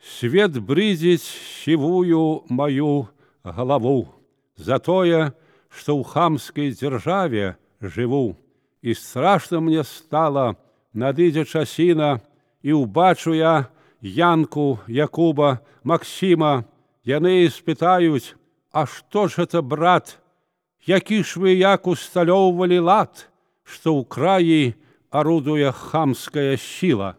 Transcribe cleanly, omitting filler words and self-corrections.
Свет брызить сивую мою голову за тое, что ў хамской державе живу. И страшно мне стало, надыдзе часіна, и убачу я Янку, Якуба, Максима. Яны спытаюць: а что ж это, брат, які ж вы як усталёўвалі лад, что ў краі орудуя хамская сила?